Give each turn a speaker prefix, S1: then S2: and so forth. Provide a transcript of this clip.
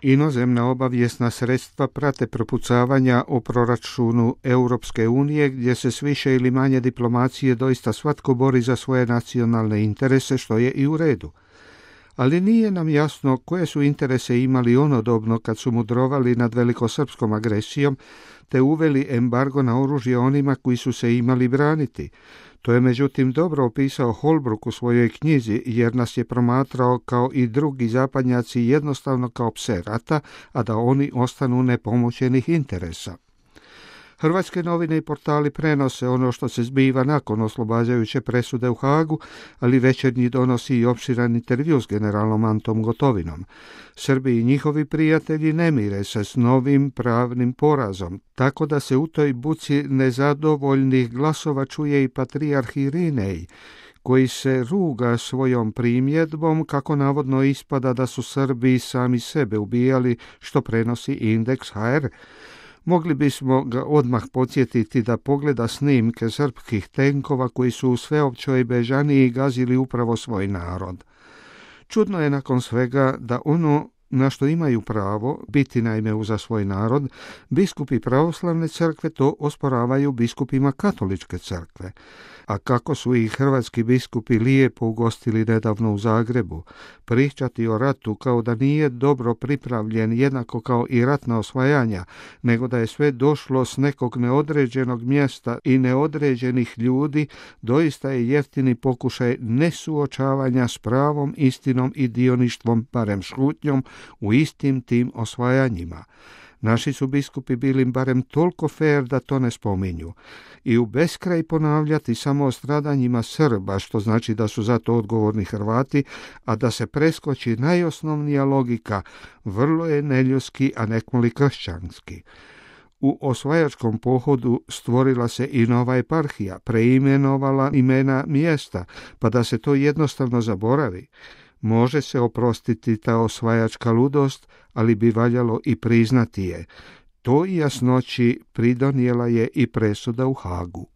S1: Inozemna obavijesna sredstva prate propucavanja o proračunu Europske unije, gdje se s više ili manje diplomacije doista svatko bori za svoje nacionalne interese, što je i u redu. Ali nije nam jasno koje su interese imali onodobno kad su mudrovali nad velikosrpskom agresijom, te uveli embargo na oružje onima koji su se imali braniti. To je međutim dobro opisao Holbrook u svojoj knjizi, jer nas je promatrao kao i drugi zapadnjaci jednostavno kao pse rata, a da oni ostanu nepomućenih interesa. Hrvatske novine i portali prenose ono što se zbiva nakon oslobađajuće presude u Hagu, ali Večernji donosi i opširan intervju s generalom Antom Gotovinom. Srbi i njihovi prijatelji ne mire se s novim pravnim porazom, tako da se u toj buci nezadovoljnih glasova čuje i patrijarh Irinej, koji se ruga svojom primjedbom kako navodno ispada da su Srbi sami sebe ubijali, što prenosi Indeks HR. Mogli bismo ga odmah podsjetiti da pogleda snimke srpskih tenkova koji su u sveopćoj bežaniji gazili upravo svoj narod. Čudno je nakon svega da ono na što imaju pravo, biti naime uza svoj narod, biskupi pravoslavne crkve to osporavaju biskupima katoličke crkve. A kako su ih hrvatski biskupi lijepo ugostili nedavno u Zagrebu, pričati o ratu kao da nije dobro pripravljen jednako kao i ratna osvajanja, nego da je sve došlo s nekog neodređenog mjesta i neodređenih ljudi, doista je jeftini pokušaj nesuočavanja s pravom istinom i dioništvom, barem šutnjom, u istim tim osvajanjima. Naši su biskupi bili barem toliko fair da to ne spominju. I u beskraj ponavljati samo o stradanjima Srba, što znači da su za to odgovorni Hrvati, a da se preskoči najosnovnija logika, vrlo je neljudski, a nekmoli kršćanski. U osvajačkom pohodu stvorila se i nova eparhija, preimenovala imena mjesta, pa da se to jednostavno zaboravi. Može se oprostiti ta osvajačka ludost, ali bi valjalo i priznati je. To jasnoći pridonijela je i presuda u Hagu.